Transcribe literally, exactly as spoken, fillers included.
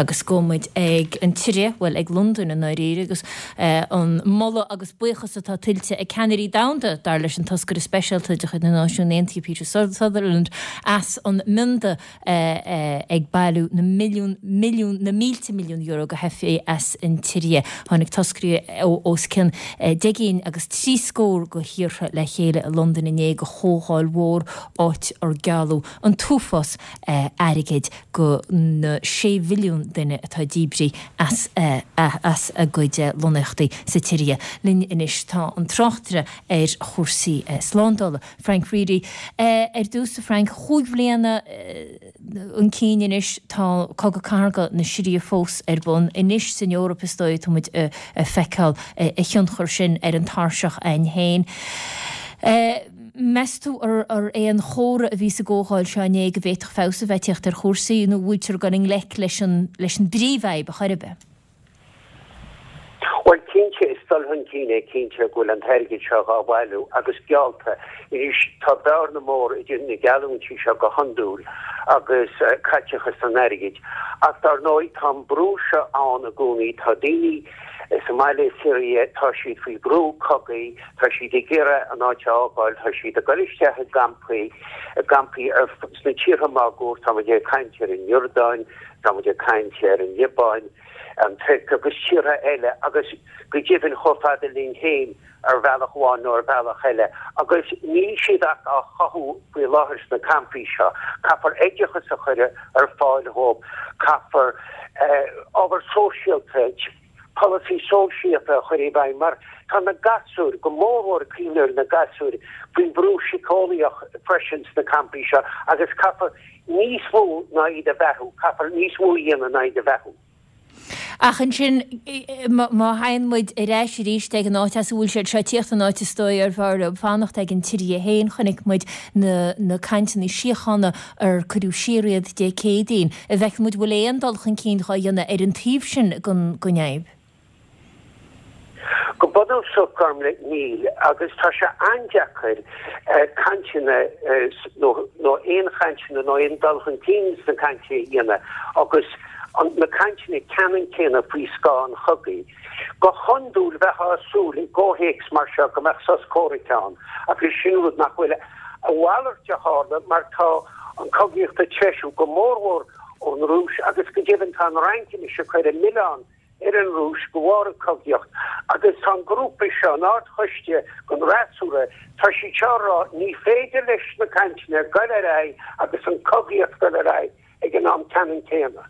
Agus gabhfaidh muid ag an tSiria, bhuel ag Londain i ndáiríre agus eh, an moladh agus buíochas atá tuillte ag ceannairí domhanda dar leis an toscaire speisialta de chuid na Náisiún Aontaithe Peter Sutherland as an mbionda eh, eh, ag bailiú na milliún milliún na mílte milliún euro go theifigh as an tSiria. Tháinig toscairí os cionn deich gcinn agus trí scór de thíortha le chéile i Londain inné go chomhdháil mhór áit ar gealladh an t-uafás airgid go na sé mhilliún duine atá díbrithe as, as a gcuid lonnaíochtaí sa tSiria. Linn anois tá an tráchtaire ar chúrsaí slándála. Frank Reidy ar dtús Frank chúig bhliana chun cinn anois tá cogadh cathartha na Siria fós ar bun anois san Eoraip is dóigh tá muid ag feiceáil a thionchar sin ar an tairseach againn féin. Meas tú ar ar aon chomhartha a bhí sa gcomhdháil seo inné go bhféadfadh feabhas a bheith ag teacht ar chúrsaí nó bhfuiltear gan i ngleic leis an leis an bpríomhfhadhb a chur Well cinnte is dul chun cinn é cinnte go bhfuil an t-airgead seo á bhailiú agus geallta anois tá bearna mór idir na geallúintí seo go hiondúil agus uh, caiteachas an airgid. Ach dar ndóigh tá brú seo ann i gcónaí tá daoine sa mbaile Siria tá siad faoi bhrú cogaidh, tá siad ag iarraidh an áit a fhágáil, tá siad ag dul isteach i gcampaí i gcampaí sna tíortha máguaird tá ag caint ar an Iordáin, tá ag caint ar an Liobáin, an Tuirc agus tíortha eile agus go deimhin chomh fada linn féin ar bhealach amháin nó ar bhealach eile, agus níl siad ach á chothú faoi láthair sna campaí seo. Caithfear oideachas a chur ar fáil dóibh, caithfear ábhar sóisialta polasaí sóisialta a chur i bhfeidhm mar tá na gasúir go mórmhór cuimhnigh ar na gasúir faoin brú síceolaíoch freisin sna campaí seo agus caithfear níos mó ná iad a bheathú, caithfear níos mó a dhéanamh ná iad a bheathú. Ach ansin má théann muid ar ais arís ag an áit as a bhfuil siad seo ag tíocht an áit is dóigh ar bhfearr fanacht ag an tSiria féin chonaic muid na, na cainteanna síochána ar cuireadh siar iad Dé Céadaoin. A bhfeiceann muid bhfuil aon dul chun cinn á dhéanamh ar an taobh sin den den fhadhb. Go bunúsach Gormlaith níl agus tá sé an-deacair uh, cainteanna uh, nó aon chainteanna nó aon dul chun cinn sna cainteanna a dhéanamh agus an, na cainteanna ceannann céanna faoi scáth an chogaidh. Go hiondúil bheifeá ag súil i gcomhthéacs mar seo go mbeadh sos comhraic ann agus sin rud nach bhfuil a mhalairt a tharla mar tá an chogaíocht ag treisiú go mórmhór ón Rúis agus go deimhin tá an Fhrainc anois ag cur an milleán ar an Rúis de bharr an chogaíocht agus tá an grúpa seo an Ardchoiste don fhreasúra tá siad seo ag rá ní féidir leis na cainteanna dul ar aghaidh agus an chogaíocht dul ar aghaidh ag an am ceannann céanna.